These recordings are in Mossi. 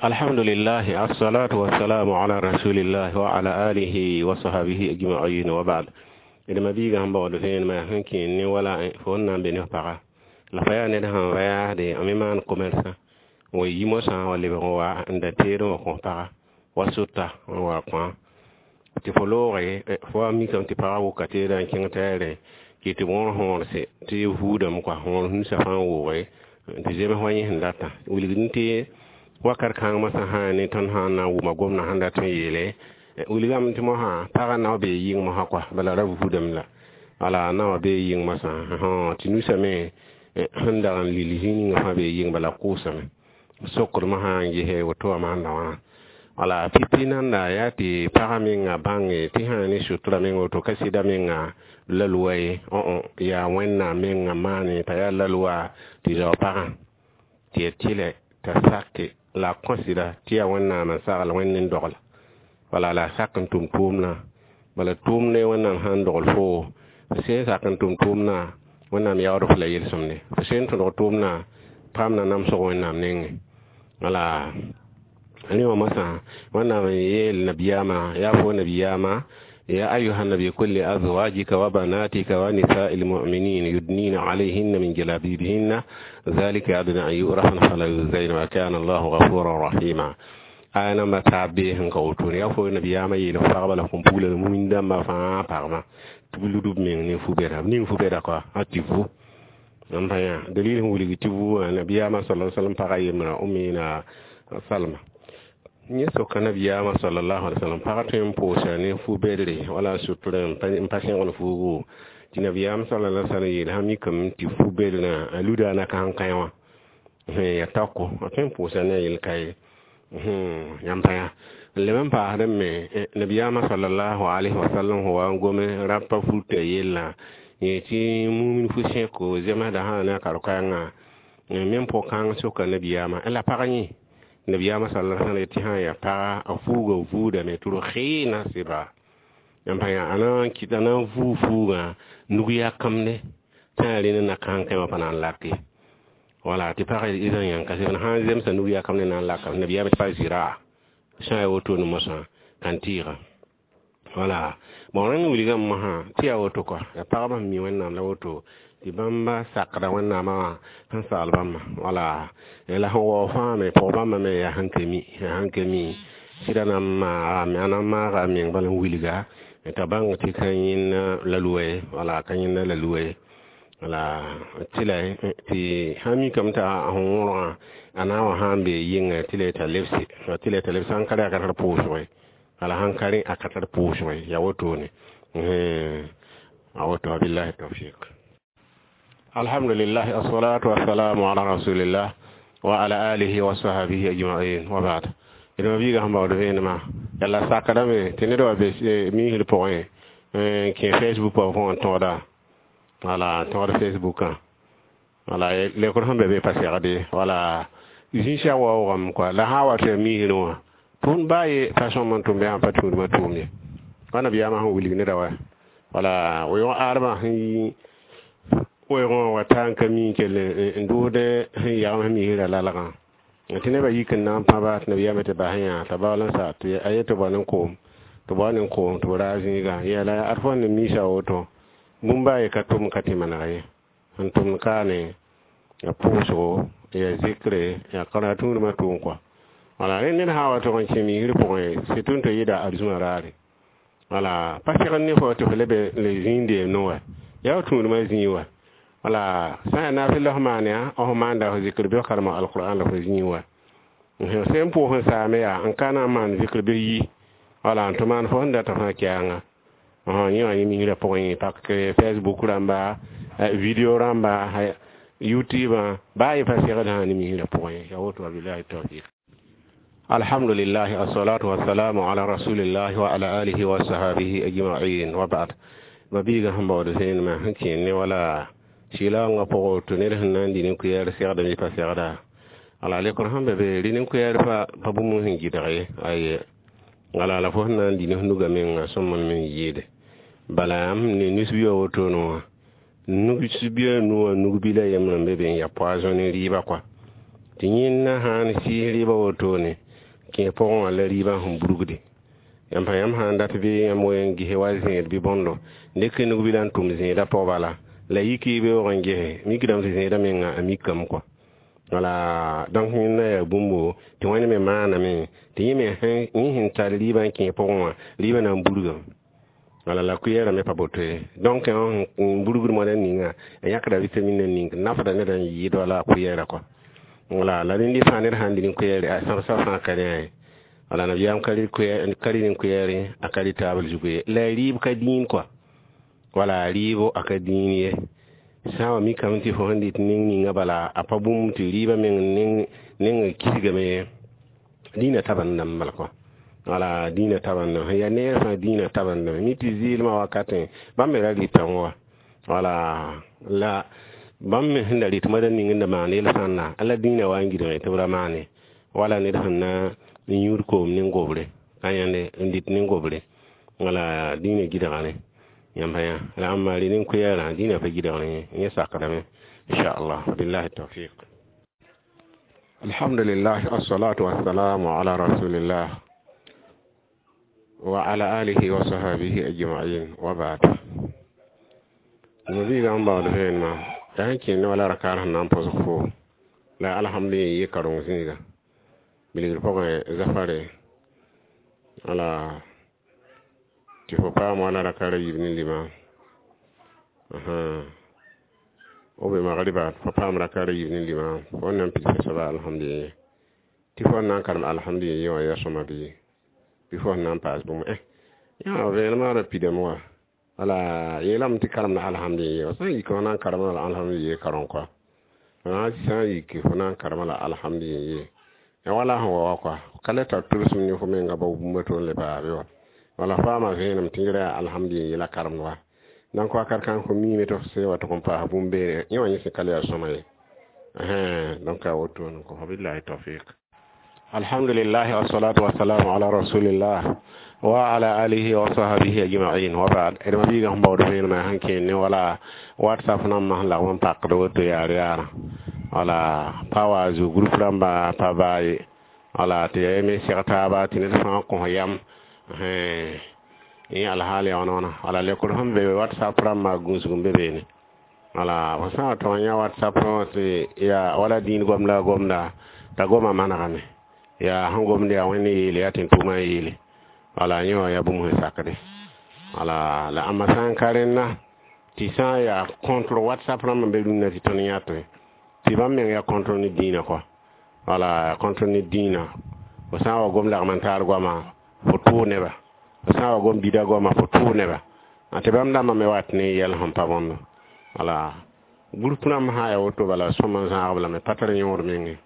Alhamdulillah, assalatu wassalamu ala rasulillah wa ala alihi wa sahbihi ajma'in, wa ba'd. D ma biiga sẽn baood vẽenemã sẽn kẽen ne wala fo n na n be ne f paga la fa yaa ned sẽn va yaasde n me maan commerçant n wa yi mosã wa lebg n wa n da teed n wa kõ paga wa sota n wa kõ tɩ fo looge fo wa mikame tɩ pagã wʋka teedã n kẽng t'a yaa rẽ kɩ tɩ wõr võorse tɩ vuudame kɔa võor nusã fãa wooge tɩ zems wa yẽ sẽn datã wilgd tɩ wakat kãng mosã sã ne tõnd sã n na n wʋma gomdã sẽn dat n yeele wilgame tɩ mosã pagã nao bee yɩng mosã kɔa bala ra vuudame la wala naoã bee yɩng mosã tɩ nusã me sẽn dag n lil zĩ ninga fãa bee yɩng bala kʋʋsame sokd mosã n gese woto wã maanda wãna wala pipi nanda yaa tɩ pagã menga bãnge tɩ sã ne sutura meng woto ka sɩda menga la lʋa ye yaa Wẽnnaam menga maane t'a yaa la lʋa tɩ zao pagã tɩ ya tɩlɛ t'a sake la a kõ sɩda tɩ yaa Wẽnnaam n sagl Wẽnd n dogl wala la a sak n tʋm tʋʋmdã bala tʋʋmdẽ Wẽnnaam sãn dogl fo f sẽn sak n tʋm tʋʋmdã Wẽnnaam yaood f la yel-sõmde f sẽn tõdg tʋʋmdã paam na namsg Wẽnnaam nengẽ wala rẽ wã mosã Wẽnnaam n yeel nabiyaamã yaa fo nabiyaamã يا أيها النبي قل لأزواجك وبناتك ونساء المؤمنين يدنين عليهن من جلابيبهن ذلك أدنى أن يؤرفن فلا يؤذين وكان الله غفورا رحيما aya namba taab bee sẽn ka wotone yaa fo nabiyaamã yeel f pagba la põn-pugla la mumin dãmbã fãa pagmã tɩ b lud b meng ne fu-bɛda b ning fu-bɛda koa a tɩ vu n pa yã dalil sẽn wilg tɩ vu wã nabiyaamã sala sallam pagã yembra Umina Salma yẽ soka nabiyaamã sallallahu alaihi wasallam pagã tõe n pʋʋsa ne fu-bɛdre wala sutura n pa sẽgl fuugu tɩ nabiyaam sallallahu alaihi wasallam yeel sã mikame tɩ fu-bɛdrã a luda a naka sẽn kãe wã ya taoko a tõe n pʋʋsa ne a yel-ka ye yãmb pa yã n leb n paasd me nabiyaamã sallallahu alaihi wasallam sẽn wa n gome rapa fultã yellã yẽ tɩ mumin fu-sẽko zemsda sã ne a kar-koɛɛngã me pʋg-kãng soka nabiyaamã la pag yẽ nabiyaamã sallallahu alaihi wasallam tɩ sã yaa paga a fuuga vuudame tɩ rʋgɩɩna sɩba yãmb pa yã a na n kɩt a na n vuu fuugã nug yakamde tɩ yaa rẽnd n na kãn kãe wã pa na n lake wala tɩ pag idan yãn ka sẽn sã n zemsa nug yakamde na n laka nabiyaamã tɩ pa zɩraa sã yaa wotone mosã kan tɩɩga wala bon rẽnd wilgame mosã tɩ yaa woto kɔa yaa pagba sẽn mi Wẽnnaam la woto tɩ bãmba sakda Wẽnnaamã wã sẽn sagl bãmba wala la sẽn waoog fãa me pʋg bãmba me yaa sẽn ka mi yaa sẽn ka mi sɩda na n maagame a na n maaga a meng bala n wilga t'a bãng tɩ ka yẽnd la lʋa ye wala ka yẽnda la lʋa ye wala tɩ la tɩ sã mikame t'a sẽn wõrgã a na n wa sã n bee yɩnga tɩ la t'a lebse tɩ la t'a lebse sãn ka rẽ a ka tar pʋʋsg ye wala sãn ka rẽ a ka tar pʋʋsg ye yaa wotone a woto wabillahi tawfiq. Alhamdulillah, assalatu wassalamu ala rasulillah wa ala alihi wa sahbihi ajma'in, wa ba'd. D ma biiga sẽn baood vẽenemã yalla sakdame tɩ ned wa be miisd pʋgẽ n kẽ Facebook wã pʋgẽ n tõoda wala n tõod Facebookã wala lekr sẽn be be pa segde wala zĩ-sɛg waoogame kɔa la sã n wa tɩ ya miisrẽ wã tʋʋn baa ye pa sõm n tʋm bɩ sãn pa tũudmã tʋʋm ye wa nabiyaamã sẽn wilg neda wa wala weoog aadmã sẽn yi weoogã wa ta n ka mi n kell n dʋʋd sẽn yagem sẽn misrã lalgã tɩ nebã yik n na n pãba tɩ nabiyaamã tɩ bas yã t'a baool n sa tɩ a yet tɩ bao ne koom tɩ bao ne koom tɩ b raag zĩigã yɛla ad fo ne misa woto bũmb baa ye ka tʋm ka tɩ maneg ye sẽn tʋmd kaane ya pʋʋsgo ya zikre ya kãra tũudmã tʋʋm kɔa wala rẽ ned sã wa tʋg n kẽ misr pʋgẽ surtout n tɩ yɩɩda arzũa raare wala pa segd ne fo tɩ f lebe le zĩig deem no wa yaa tũudmã zĩig wa wala sã n yaa nafɩ la f maan yaa f maanda f zikr bɩ f karema alqur'an la fo zĩig wa sẽn pʋʋs n saame yaa n ka na n maan zikr bɩ yi wala n tɩ maan fo sẽn data fãa kɛɛngã yẽ wã yẽ misrã pʋgẽ pak Facebook rãmba video rãmba YouTube baa ye pa segd sã ne misrã pʋgẽ yaa woto wabillahi tawfiq. Alhamdulillah, assalatu wassalamu ala rasulillah wa ala alihi wa sahbihi ajma'in, wa ba'd. Ma biiga sẽn baood vẽenemã sẽn kẽen ne wala sɩlaoongã pʋgẽ tɩ ned sẽn na n dɩ nin-koɛɛr segdame bɩ pa segda ala lekr sẽn be be rɩ nin-koɛɛr pa bũmb sẽn gɩdg ye aye wala la fo sẽn na n dɩ ne f nugã menga sõm n me n yɩɩde bala yãmb ne nus-bia wotone wã nus-bia nuwã nug-bila yembrã n be be n yaa poison ne rɩɩba kɔa tɩ yẽnda sãn sɩɩs rɩɩba wotone. kẽ pʋgẽ wã la rɩɩbã sẽn burgde. Yãmb sã yãmb sã n dat bɩ yãmb wen gese wa zẽed bɩ bõndo dɩk nug-bilã n tʋm zẽedã pʋg bala la yik y beoog n gese mikdame tɩ zẽedã menga a mikame kɔa. Wala donc yẽnda yaa bũmbo tɩ Wẽnd me maaname tɩ yẽ me yẽ sẽn tar rɩɩbã n kẽ pʋgẽ wã rɩɩbã na n burgame. Wala la kʋɩɛɛrã me pa boto ye. Donc n burgd moadã ninga a yãkda vitamine n ning nafda ned n yɩɩd wala a kʋɩɛɛra kɔa. Wala la rẽnd fãa ned sãn dɩ ne kʋɩɛɛre a sãbsã fãa ka rẽ ye. Wala nabiyaam ka rɩ ne kʋɩɛɛre a ka rɩ taabl zugu ye. La rɩɩb ka dĩin kɔa. Wala rɩɩbo a ka dĩin ye. Sã n wa mikame tɩ fo sẽn dɩt ning ninga bala a pa bũmb tɩ rɩɩbã meng neng kisgame ye. Dĩinã tabendame bala kɔa. Wala dĩinã tabendame sẽn yaa neer fãa dĩinã tabendame mi tɩ zɩɩlmã wakatẽ bãmb me ra rɩtame wa. Wala la bãmb me sẽn da rɩt moadã ning n da maan yel-sãnda la dĩinã wa n gɩdge tɩ b ra maane. Wala ned sẽn na n yũud koom ne gobre ka yãnde n dɩt ne gobre. Wala dĩinã gɩdga rẽ yãmb yã la ãmba rɩ ne kʋɩɛɛrã dĩinã pa gɩdg rẽ yẽ sakdame inchallah. Billahi tawfiq. Alhamdulillah, assalatu wassalamu ala rasulillah wa ala alihi wa sahbihi ajma'in wa ba'd. Nabiga n baood vẽenemã yaa sẽn kẽnd wala rakaar sẽn na n põsg fo la alhamdulillah yɩ kareng zĩiga bilgr pʋgẽ zafare wala tɩ fo paam wala rakaar a yiib ne limã o be magriba fo paam rakaar a yiib ne limã fo n na n pids soaba alhamdulillah tɩ fo n na n karem alhamdulillah wã yaa sõma bɩ fo sẽn na n paas bũmb yã vẽenemã ra pidame wa. Wala yeelame tɩ karemda alhamdulillah sã n yik fo na n karema la alhamdulillah kareng kɔa. Sã n yik fo na n karema la alhamdulillah ya wala sẽn wa wa kɔa ka le tar tʋlsem ne fo menga bao bũmba tɩ le paa be wa. Wala faama vẽenem tɩ yẽra yaa alhamdulillah la karemd wa. Donc wakat kãng fo miime tɩ f se wa tɩ n paas bũmb beene yẽ wã yẽ sẽn ka le yaa sõma ye. Donc a wotone kõ billahi tawfiq. Alhamdulillah, wassalatu wassalamu ala rasulillah wa ala alihi wa sahbihi ajma'in wa ba'd. D mabiigã sẽn baood vẽenemã sẽn kẽend ne wala WhatsApp nambã sẽn lagm n pakd woto yaar yaara. Wala pa wa zu groupe rãmba pa baa ye. Wala tɩ yaa me seg taaba tɩ ned fãa kõ yam yẽ alhaal yaa wãna. Wala lekr sẽn be WhatsApp rãmbã gũusg n be beene. Wala fo sã n wa tɩ yã WhatsApp tɩ yaa wala dĩin gomda gomda t'a goma manegame yaa sẽn gomd yaa Wẽnd yeele yaa tẽn-tʋʋmã yeele. Wala yẽ wã yaa bũmb sẽn sakde. Wala la ãmba sã n ka rẽnda tɩ sã n yaa contre WhatsApp rãmb n be rũnnã tɩ tõnd yãtẽ tɩ bãmb meng yaa contre ne dĩinã kɔa. Wala contre ne dĩinã fo sã n wa gom lagm n taar goama fo tʋʋ neba, fo sã n wa gom bida goama fo tʋʋ neba tɩ bãmb dãmbã me wat ne yɛl sẽn pa bõndo. Wala groupe rãmb sã n yaa woto bala sõma n zãag b lame pa tar yõod menge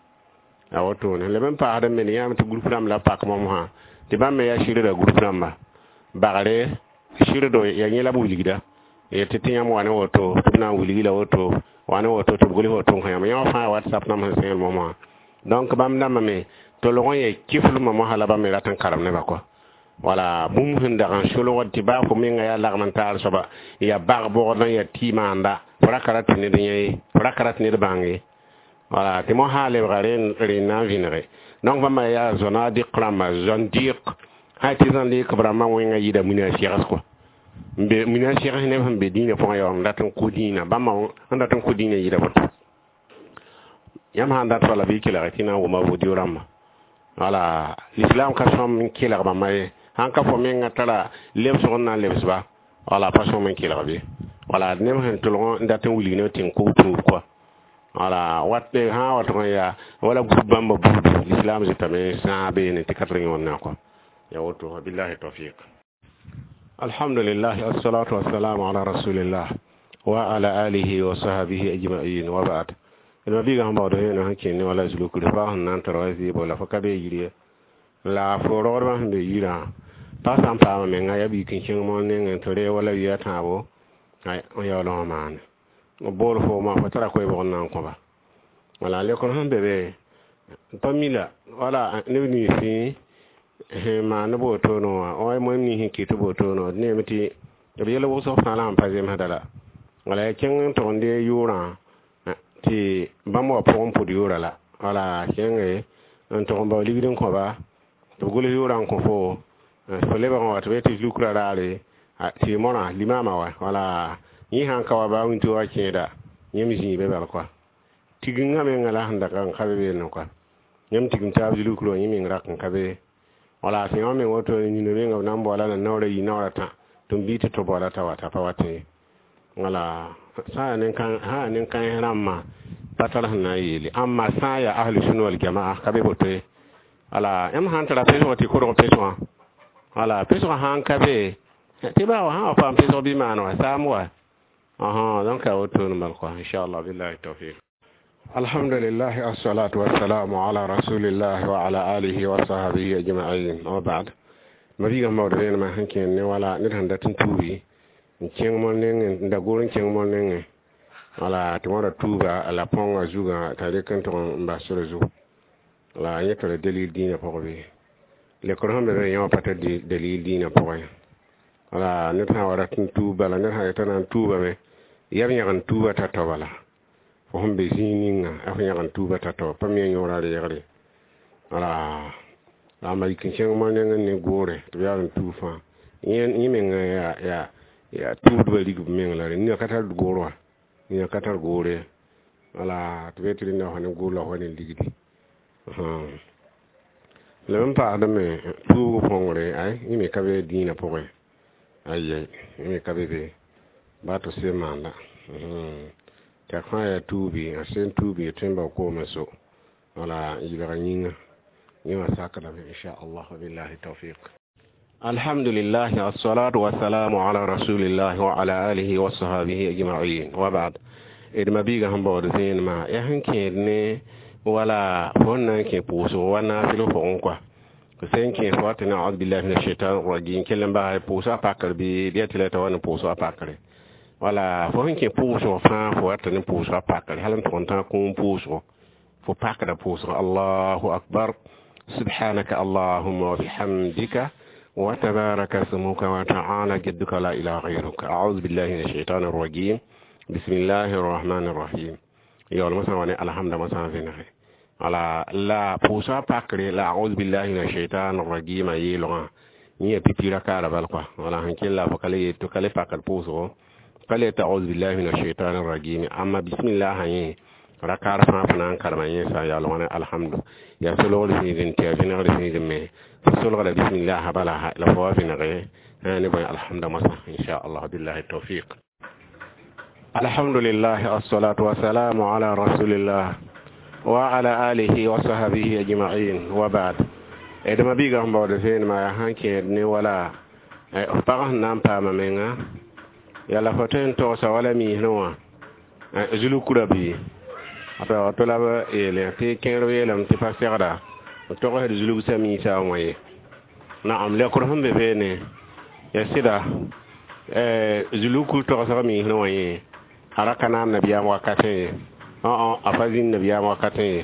a wotone. Leb n paasd n me yãame tɩ groupe rãmb la pak mom sã tɩ bãmb me yaa sɩrda groupe rãmba bagre sɩrdo yaa yẽ la b wilgda tɩ tɩ yãmb wa ne woto tɩ b na n wilgi la woto wa ne woto tɩ b gʋls woto n kõ yãmb yã wã fãa WhatsApp nambã sẽn sẽel mom wã. Donc bãmb dãmbã me tolg n yaa kiflmã mosã la bãmb me rat n karem nebã kɔa. Wala bũmb sẽn dag n solgd tɩ baa fo menga yaa lagm n taar soaba yaa bag bogd n yaa tɩ maanda fo ra ka rat tɩ ned yã ye, fo ra ka rat ned bãng ye. Wala tɩ mosã lebga rẽnd na n vẽnege. Donc bãmba yaa zõna dɩk rãmba zõn dɩk sã tɩ zõn dɩk b rãmbã wẽnga yɩɩda mina segs kɔa. Mina segs neb sẽn be dĩinã pʋgẽ yaa n dat n kʋ dĩinã bãmba sẽn dat n kʋ dĩinã yɩɩda woto. Yãmb sã n dat bala bɩ y kelg tɩ na n wʋma vodio rãmba. Wala l'islam ka sõm n kelg bãmba ye. Sãn ka fo menga tara lebsg n na n lebs-ba wala pa sõm n kelg bɩ. Wala neb sẽn tolg n dat n wilg neb tɩ n kʋ tuub kɔa. Wala wat sã n wa tʋg n yaa wala groupe bãmba buudu l'islam zɩtame sãag beene tɩ ka tar yõod kɔa. Ya woto billahi tawfiq. Alhamdulillah, assalatu wassalamu ala rasulillah wa ala alihi wa sahbihi ajma'in wa ba'd. D mabiigã sẽn baood vẽenem sẽn kẽnd ne wala zulukr fa sẽn na n tar wa zɩɩbo la fo ka be yir ye la fo rogdbã sẽn be yirã pa sã n paama menga yaa biik n kẽng moon nengẽ tɩ ree wala wi a tãabo n yaool wã maane b bool foomã fo tara koe-bʋg n na n kõba. Wala lekr sẽn be be pa mi la wala neb ninsẽ sẽn maan b wotone wã wa moem nins sẽn kɩt b wotone wã d neeme tɩ b yɛl wʋsg fãa la sẽn pa zemsda la. Wala yaa kẽng n tʋg n dee yʋʋrã tɩ bãmb wa pʋgẽ pʋd yʋʋra la. Wala kẽnge n tʋg n bao ligd n kõba Tɩ b gʋls yʋʋrã n kõ fo fo lebg n wa tɩ b yetɩ zulukra raare tɩ mõrã limaamã wa wala yẽ sãn ka wa baa wĩnto wa kẽeda yẽmb zĩig be bal kɔa tigengã menga la sẽn dag n ka be beene kɔa yãmb tigim taab zulukr wã yẽ meng rak n ka be wala sẽn wã meng woto nina menga b na n baoola la naoora yi naoora tã tɩ m bii tɩ to baoola t'a wa t'a pa wat ye wala sã n yaa nin-kãens rãmbã pa tar sẽn na n yeele ãmba sã n yaa ahlu sũna wal jamaa ka be boto ye wala yãmb sãn tara pesg tɩ korg pesgã wala pesgã sãn ka be tɩ baa wa sã wa paam pesg bɩ maan wa saam wa donc a woto n bal kɔa inchallah billahi tawfiq. Alhamdulillah, assalatu wassalamu ala rasulillah wa ala alihi wa sahbihi ajma'in wa ba'd. Mabiga mawd rẽnemã sẽn kẽnd ne wala ned sẽn dat n tuubi n kẽng mol nengẽ n da gor n kẽng mol nengẽ wala tɩ wãra tuuba la põngã zugã t'a rek n tʋg n bas sore zugu la yẽ tara dalil dĩinã pʋgẽ bɩ lekr sẽn be be yẽ wã pa tar dalil dĩinã pʋgẽ wala ned sã n wa rat n tuub bala ned sã yetã na n tuubame yab yãg n tuuba t'a tao bala fo sẽn be zĩig ninga f yãg n tuuba t'a tao pa me yõora reegre wala la ma yik n kẽng moa nengẽ ne goore tɩ b yaa n tuub fãa yẽ menga yaa yaa tuudbã rig b meng la rẽ nina ka tar goor wã nina ka tar goore wala tɩ b yetɩ rẽnda fa ne goor la fa ne ligdi la b n paasdame tuubg põngre ay yẽ me ka be dĩinã pʋgẽ ayɛ yẽ me ka be be baa tɩ sẽn maanda tɩ a fãa yaa tuubi a sẽn tuubi tõe n bao koomã so wala n yɩlga yĩnga yẽ wã sakdame inchallah wabillahi tawfiq. Alhamdulillah, assalatu wassalamu ala rasulillah wa ala alihi wa sahbihi ajma'in wa ba'd. D mabiiga sẽn baood zẽenemã yaa sẽn kẽed ne wala fo n na n kẽ pʋʋsg wa naafɩl pʋgẽ kɔa sẽn kẽ fo tɩ naudu billahi min ashaitan rajim kell n basa pʋʋsga pakr bɩ bɩ tɩ la t'a wa ne pʋʋsga pakre wala fo sẽn kẽ pʋʋsg fãa fo wat ne pʋʋsga pakre hal n tʋg n tã kũum pʋʋsgo fo pakda pʋʋsg allahu akbar subhanaka allahumma wa bihamdika wa tabaraka smuka wa ta'ala jadduka la ilaha ghayruka a'udhu billahi minash shaitanir rajim bismillahir rahmanir rahim yaool mosã wa ne alhamda mosã vẽnege wala la pʋʋsga pakre la a'udhu billahi minash shaitanir rajim a yeelgã yẽ ya pipi rakaara bal kɔa wala sẽn kell la fo ka le yet ka le pakd pʋʋsgo ka le tɩ a'udhu billahi minash shaitanir rajim amma bismillah yẽ rakaar fãa fo na n karema yẽ sã n yaool wã ne alhamdu yaa solgr zĩigẽ tɩ yaa vẽnegr zĩigẽ me fo solgda bismillah bala la fo wa vẽnege ne bõe alhamda mosã inchallah billahi tawfiq. Alhamdulillah, assalatu wassalamu ala rasulillah wa ala alihi wa sahbihi ajma'in wa ba'd. D mabiiga sẽn baood vẽenemã yaa sãn kẽed ne wala f pag sẽn na n paama menga yaa la fo tõe n togsa wala miisrẽ wã zulukura bɩ to la b yeele tɩ kẽer yeelame tɩ pa segda b togsd zulgsã miisã wã ye naam lekr sẽn be beene ya sɩda zulukr togsg miisrẽ wã yẽ a ra ka naam nabiyaam wakatẽ ye a pa zĩnd nabiyaam wakatẽ ye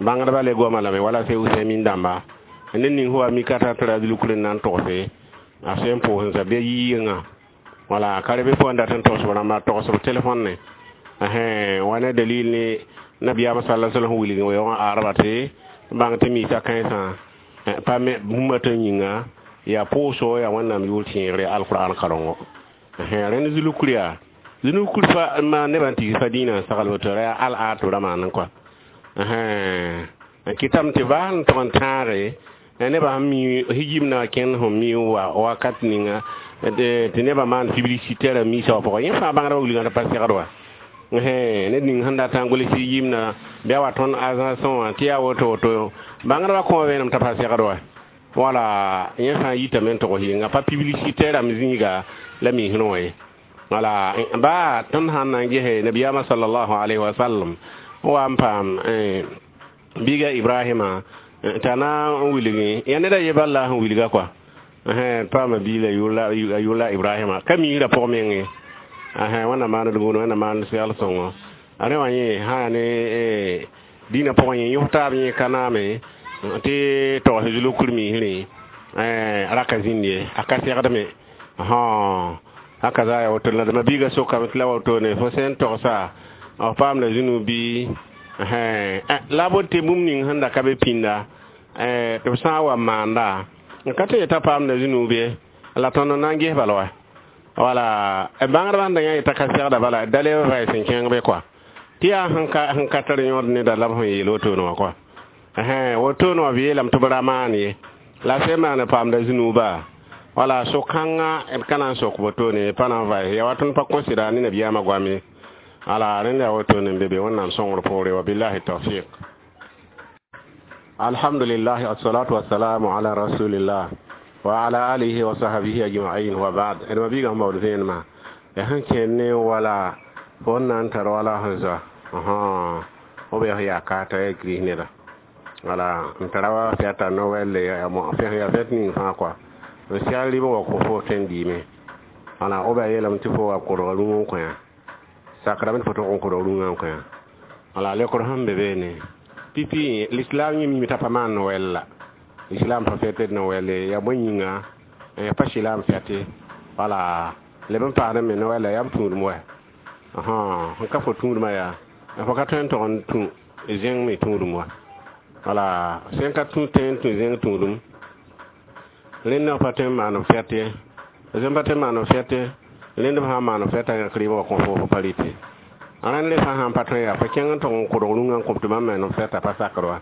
bãngdbã le goama lame wala se usẽmin dãmba ned ning sẽn wa mikata tɩ ra zulukr n na n togse a sẽn pʋʋs n zabɩ yɩɩngã wala ka rebe pʋgã dat n togsb rãmba togsb telefõn ne wa ne dalil ne nabiyaam sala sallam sẽn wilg weoogã arba tɩ bãng tɩ miisã kãensã pa me bũmba tɩ yĩnga yaa pʋʋsgo yaa wẽnnaam yʋʋr tẽegre alqur'an karengo rẽnd zulukr yaa zulukr fa ma nebã n tigs fa dĩinã n sagl woto ra yaa al aat ra maan kɔa n kɩtame tɩ baa n tʋg n tãage nebã sẽn mi hijimna kẽnd sẽn mi wakat ninga tɩ nebã maan publicitaire miisã wã pʋgã yẽ fãa bãngdbã wilgã tɩ pa segd wa ned ning sẽn dat n gʋls yimna bɩ a wa tõnd agence wã tɩ yaa woto woto bãngdbã kõ vẽenem t'a pa segd wa wala yẽ fãa yitame n togs yɩnga pa publicitaire am zĩiga la miisrẽ wã ye wala baa tõnd sãn na n gese nabiyaamã sallallahu alayhi wa sallam wa n paam biiga ibrahima t'a na n wilgi ya ned a ye bal la sẽn wilga kɔa paama biila a yʋʋr ibrahima ka miisrã pʋg menge wẽnnaam maand gũud wẽnnaam maand segl sõngo a rẽ wã yẽ sã yaa ne dĩinã pʋgẽ yẽ yõs taab yẽ ka naame tɩ togs zulukr miisrẽ raka zĩnd ye a ka segdme haka za ya woto la mabiiga sokame tɩ la wotone fo sẽn togsa f paamda zũnu bɩ la bot tɩ bũmb ning sẽn da ka be pĩnda Tɩ b sã n wa maanda n ka tɩ yeta paamda zũnuub ye la tõnd n na n ges bala wa wala bãngdbã sẽn da yã yeta ka segda bala da leb vaɩs n kẽng be kɔa tɩ yaa sẽn ka tar yõod neda la b sẽn yeel wotone wã kɔa wotone wã b yeelame tɩ b ra maan ye la sẽn maan paamda zũnuuba wala so-kãngã d ka na n sok wotone pa na n vaɩs ya wa tõnd pa considéra ne nabiyaamã goam ye ala rẽnd yaa wotone n be be wẽnnaam sõngr poore wa billahi tawfiq. Alhamdulillah, assalatu wassalamu ala rasulillah wa ala alihi wa sahbihi ajma'in wa ba'd. D ma biigã sẽn baood vẽenemã ya sẽn kẽer ne wala fo n na n tar wala sẽn zoa b yaa kaata ya gris neda wala n tara wa fɛta nowɛlle ya fɛt ning fãa kɔa n segl rɩb wa kõ fo tõe n dɩɩme wala b yaa yeelame tɩ fo wa kodga rũng n kõ sakrame tɩ fo tog n kodg rũngã n kõ wala lekr sẽn be beene pipi l'islam yẽ mime t'a pa maan Noël la l'islam pa fɛtd Noël ya bõe yĩnga ya pa silaam fɛte wala leb n paasd me Noël la yaa m tũudem wa sẽn ka fo tũudmã yaa fo ka tõe n tog n tũ zẽng me tũudum wa wala sẽn ka tũ tõe n tũ zẽng tũudum rẽndã pa tõe n maan b fɛt ye sẽn pa tõe n maan b fɛt rẽnd b sã n maan b fɛta yãk rɩɩbã wa kõ fo fo pa rɩte rẽnd le fãa sãn pa tõe yaa fo kẽng n tog n kodg rũngã n kõp tɩ bãmb me fɛta pa sakr wa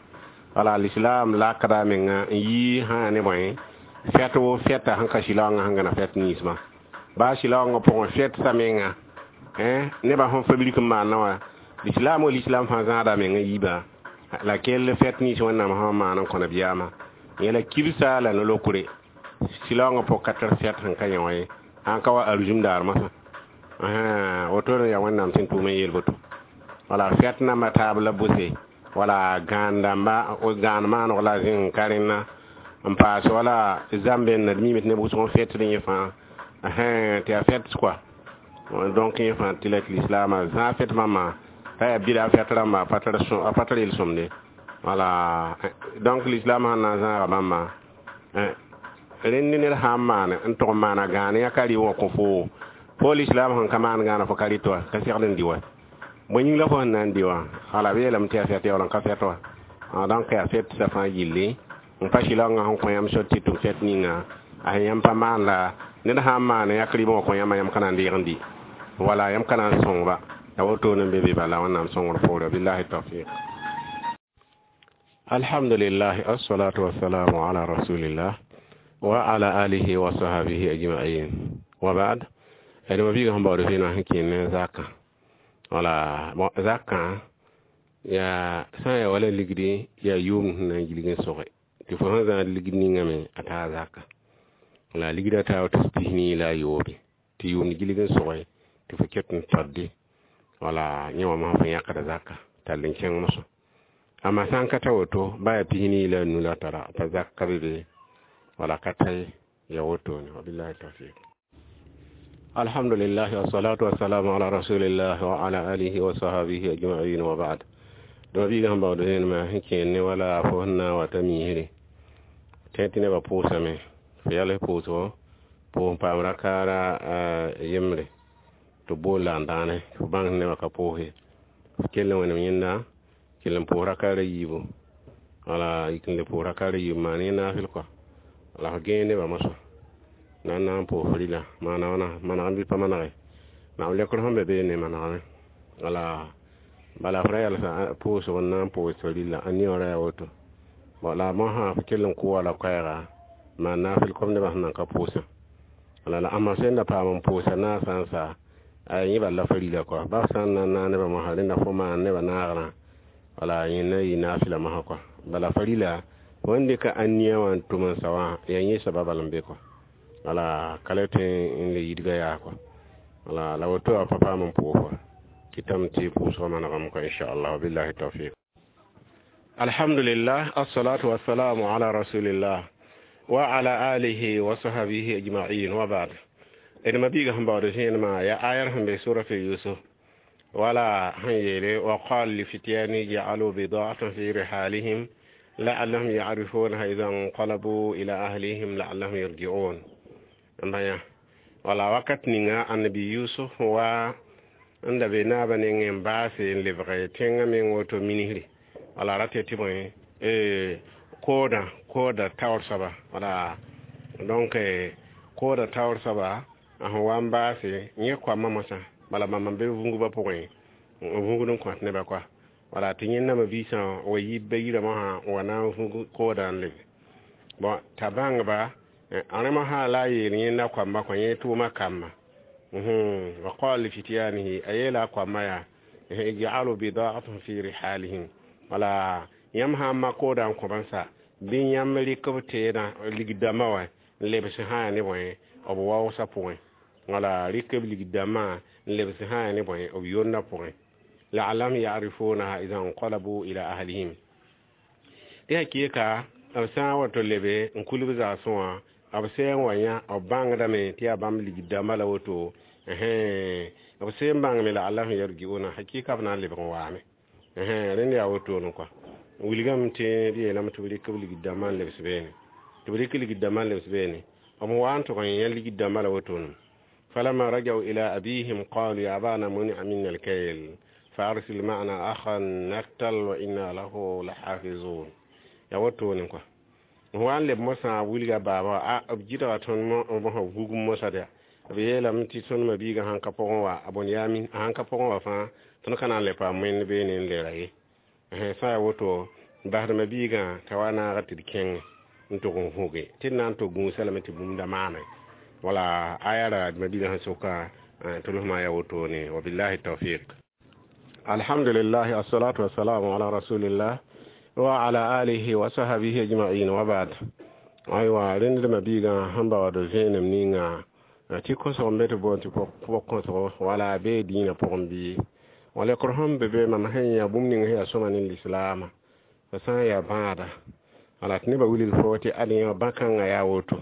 wala l'islam lakda menga n yi sã ne bõe fɛt wo fɛta sẽn ka sɩlaoongã sẽn gãna fɛt ninsmã baa sɩlaoongã pʋgẽ fɛt sa menga nebã sẽn fabrik n maana wã l'islam wa l'islam fãa zãada menga yiibã la kell fɛt nins wẽnnaam sẽn maan n kõ nabiyaamã yẽla kibsa la no-lokre sɩlaoongã pʋg ka tar fɛt sẽn ka yẽ wã ye sãn ka wa arzum daar masã wotone yaa wẽnnaam sẽn tʋʋm n yeel boto wala fɛt namba taab la bʋse wala gãan dãmba gãan maanog la zẽng ka rẽnna n paas wala zãmbẽnna d miime tɩ neb wʋsg n fɛtd yẽ fãa tɩ yaa fɛt kɔa donc yẽ fãa tɩ la tɩ lislaamã zãag fɛt bãmba t'a yaa bɩda fɛt rãmba a pa tar yel-sõmde wala donc l'islam sãn na n zãaga bãmba rẽnd ned sã n maan n tʋg n maana gãan yã ka rɩ wã kõ foo fo l'islam sẽn ka maan gãana fo ka rɩt wa ka segd n dɩ wa bõe yĩng la fo sẽn na n dɩ wã ala b yeelame tɩ yaa fɛt yaool n ka fɛt wa donc yaa fɛt sã fãa gilli n pa sɩlaoongã sẽn kõ yãmb sor tɩ tʋm fɛt ninga a sẽn yãmb pa maan la ned sã n maan yãk rɩbã wã kõ yãmba yãmb ka na n deeg n dɩ wala yãmb ka na n sõngba ya wotone n be be bala wẽnnaam sõngr poore billahi tawfiq. Alhamdulillah, assalatu wassalamu ala rasulillah wa ala alihi wa sahbihi ajma'in wa ba'd. D ma biigã sẽn baood vẽenã sẽn kẽer ne zakã wala zakã yaa sã n yaa wala ligdi yaa yʋʋmd sẽn na n gilg n sõge tɩ fo sẽn zãad ligd ningame a taa zaka la ligda taa tɩ 43 tɩ yʋʋmd gilg n sõge tɩ fo ket n tadde wala yẽ wã masã fo yãkda zaka tall n kẽng mosã amma sã n ka ta woto ba yaa 45 la tara pa zak ka be be wala ka ta ye ya wotone wabillahi tawfiq. Alhamdulillah, wassalatu wassalamu ala rasulillah wa ala alihi wa sahbihi ajma'in wa ba'd. Dõma biigã sẽn baood vẽenemã sẽn kẽer ne wala fo sẽn na n wa t'a miisre tẽ tɩ nebã pʋʋsame fo yals pʋʋsgo pʋʋs n paam rakaara yembre tɩ b bool la n dãane fo bãng tɩ nebã ka pʋʋs ye f kell n wẽnem yẽnda kell n pʋʋs rakaara yiibu wala yik n le pʋʋs rakaara yiibu maan yẽ naafɩl kɔa la f gẽeg nebã mosã na n na n pʋʋs rɩla maana wãna manegame bɩ pa manege naam lekr sẽn be beene manegame wala bala f ra yalsa pʋʋsg n na n pʋʋs rɩla a niyoora yaa woto bon la mosã f kell n kʋ wala koɛɛga maan naafɩl kom nebã sẽn nan ka pʋʋsã wala la ãmba sẽn da paam n pʋʋsa naasã n sa a yẽ bal la fa rila kɔa ba f sã n na n naag nebã mosã rẽnda fo maan nebã naagrã wala yẽ na yɩ naafɩla mosã kɔa bala fa rila fo n dɩka ania wã n tʋm n sa wã yaa yẽ soaba bal n be kɔa wala ka le tõe n le yidga yaa kɔa wala la woto a pa paam n pʋʋs wa kɩtame tɩ pʋʋsgã manegame kɔa inchallah billahi tawfiq. Alhamdulillah, assalatu wassalamu ala rasulillah wa ala alihi wa sahbihi ajma'in wa ba'd. D ma biigã sẽn baood vẽenemã yaa ayar sẽn be suratu yusuf wala sẽn yeele wa qal lifityani ja'alu bida'atan fi rihalihim la'allahum ya'rifunaha idha inqalabu ila ahlihim la'allahum yarji'un bãya wala wakat ninga annabi yusuf wa n da be naabã nengẽ n baase n lebge tẽngã meng woto minisri wala ra tɩ tɩ bõe Koodã kooda taoor soaba, wala donc kooda taoor soaba a sẽn wa n baase yẽ koamã mosã bala bãmb n be vũngba pʋgẽ n vũgd n kõt nebã kɔa. Wala tɩ yẽnda mabiisã wa yi ba yirã mosã n wa na n vũg koodã n lebe. Bon, t'a bãngba rẽ mosã la a yeel yẽnda koamba kõ yẽ tʋʋma kamba wa qala lifityanihi, a yeela a koamba yaa: ij'alu bida'atahum fi rihalihim. Wala yãmb sã n mak koodã n kõ sa bɩ yãmb rɩk b teedã ligd-dãmbã wa n lebs sã ne bõe b waoosã pʋgẽ. Wala rɩk b ligd-dãmbã n lebs sã ne bõe b yondã pʋgẽ, la'allahum ya'rifunaha idha inqalabu ila ahlihim. Tɩ hakɩɩka b sã n wa tɩ lebe n kul b zaasẽ wã, b sẽn wa yã b bãngdame tɩ yaa bãmb ligd-dãmbã la woto, b sẽn bãngame la'allahum yarji'una, hakɩɩka b na n lebg n waame. Rẽnd yaa wotone kɔa. Wilgame tɩ b yeelame tɩ b rɩk b ligd-dãmbã n lebs beene, tɩ b rɩk ligd-dãmbã n lebs beene. B wa n tʋg n yã ligd-dãmbã la wotone. Falamma rajau ila abihim qalu ya abana muni'a minna alkayl fa arsil ma'ana akhan naktal wa inna lahu lahafizun. Ya wotone kɔa. Wa n leb mosã wilga baaba a b gɩdga tõnd mosã vugum mosã dɛ b yeelame tɩ tõnd mabiigã sãn ka pʋgẽ wa a bõn yaa a sãn ka pʋgẽ wa fãa tõnd ka na n le paam wẽnd beene n leera ye. Sã yaa woto basd mabiigã t'a wa naaga tɩ d kẽngẽ n tʋg n vũge tɩ d na n tʋg gũusa lame tɩ bũmb da maame. Wala aya ra mabiigã sẽn soka tɩ losmã yaa wotone. Wabillahi tawfiq. Alhamdulillah, assalatu wassalamu ala rasulillah wa ala alihi wa sahbihi ajma'in wa ba'd. Aywa, rẽnd mabiigã sẽn baood vẽenem ninga tɩ kosg n be tɩ boond tɩ pʋg kõsgo wala bee dĩinã pʋgẽ bɩ wala lekr sẽn be be mam sẽn yã bũmb ning sẽn yaa sõma ne lislaamã fa sã n yaa bãada. Wala tɩ nebã wilg fo tɩ ad yã bã-kãngã yaa woto.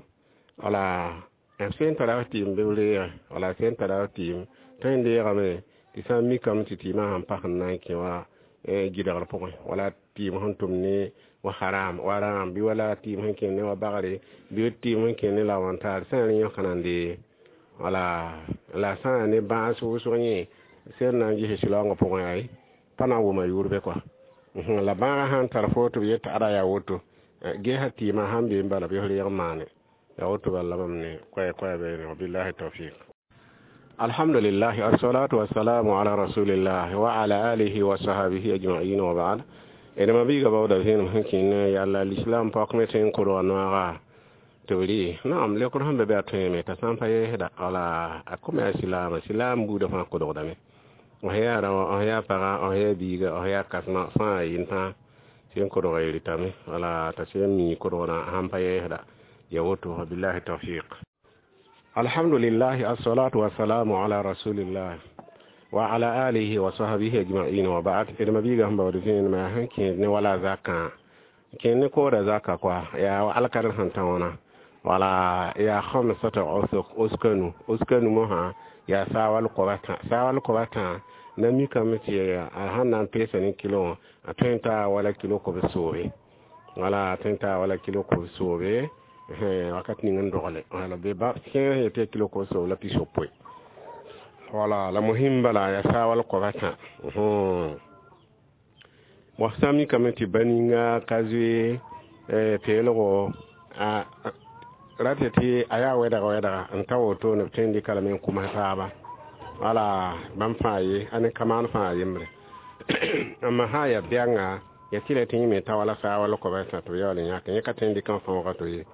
Wala b sẽn tara f tɩɩm bɩ b reege, wala sẽn tara f tɩɩm tõe n deegame tɩ sã n mikame tɩ tɩɩmã sãn pas n na n kẽ wa gɩdgr pʋgẽ, wala tɩɩm sẽn tʋm ne wa haram wa rãam bɩ wala tɩɩm sẽn kẽ ne wa bagre bɩ tɩɩm sẽn kẽ ne la wãntaar sã n rẽ yõka nan dee. Wala la sã n yaa ne bãas wʋsg yẽ sẽn na n ges sɩlaoongã pʋgẽ ay pa na n wʋma yʋʋr bɛ kɔa. La bãagã sãn tar fo tɩ b yet tɩ ada yaa woto gesa tɩɩmã sãn be n bala bɩ f reeg n maane yaa woto bala la bãmb ne koɛɛ koɛɛ beene. Wabillahi tawfiq. Alhamdulillah, assalatu wassalamu ala rasulillah wa ala alihi wa sahbihi ajma'in wa ba'd. D mabiiga baooda vẽenem sẽn kẽn yalla lislam paook me tɩ n kodga noaga tɩ b rɩ naam lekr sẽn be be a tõeme t'a sã n pa yɛɛsda. Wala a kome a silaama silaam buudã fãa kodgdame f yaa rao, f yaa paga, f yaa biiga, f yaa kãsema fãa yɩn fãa sẽn kodga y rɩtame. Wala t'a sẽn mi kodgrã sãn pa yɛɛsda ya woto. Wabillahi tawfiq. Alhamdulillah, assalatu wassalamu ala rasulillah wa ala alihi wa sahbihi ajma'in wa ba'd. D mabiiga sẽn baood vẽenemã sẽn kẽed ne wala zakã kẽed ne kooda zaka kɔa yaa alkadr sẽn tã wãna. Wala yaa khamsata usuk uskanu uskanu mosã yaa saawal koaba tã, saawal koaba tã na mikame tɩ a sãn na n peesa ne kilo wã a tõe n taa wala kilo kob soobe. Wala a tõe n taa wala kilo kob soobe wakat ning n dogle. Wala be ba kẽer sẽn yetɩ kilo kob soob la 60. Wala la muhim bala yaa saawal koaba tã. Wa sã mikame tɩ ba ninga ka zoe peelgo a rate tɩ a yaa wɛdga wɛdga n ta wotone b tõe n dɩka lame n kʋms taaba. Wala bãmb fãa ye a ne kamaan fãa yembre, amma sã n yaa bɛnga ya tɩ la tɩ yẽ me ta wala saawal koaba tã tɩ b yaool n yãk yẽ ka tõe n dɩk n fãooga to ye.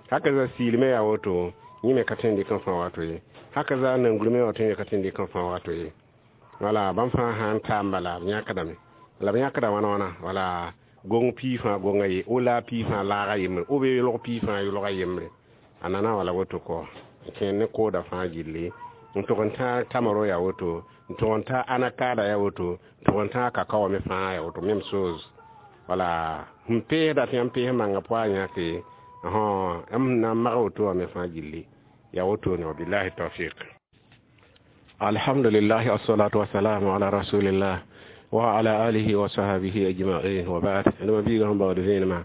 Haka za siilmẽ yaa woto yẽ me ka tõe n dɩk n fãooga to ye. Haka za nangurmẽ wa tõe ka tõe n dɩk n fãooga to ye. Wala bãmb fãa sã n taam bala b yãkdame la b yãkda wãna wãna. Wala gong pii fãa gonga ye o la pii fãa laaga yembre o be yʋlg pii fãa yʋlga yembre a nana wala woto kɔ kẽer ne kooda fãa gilli n tʋg n tã tamaro yaa woto, n tʋg n tã anakaada yaa woto, n tʋg n tã kakao me fãa yaa woto, même chose. Wala sẽn peesda tɩ yãmb pees manga pʋa yãke m na n mag woto wã me fãa gilli yaa wotone. Wabillahi tawfiq. Alhamdulillah, assalatu wassalamu ala rasulillah wa ala alihi wa sahbihi ajma'in wa ba'd. D mabiiga sẽn baood vẽenemã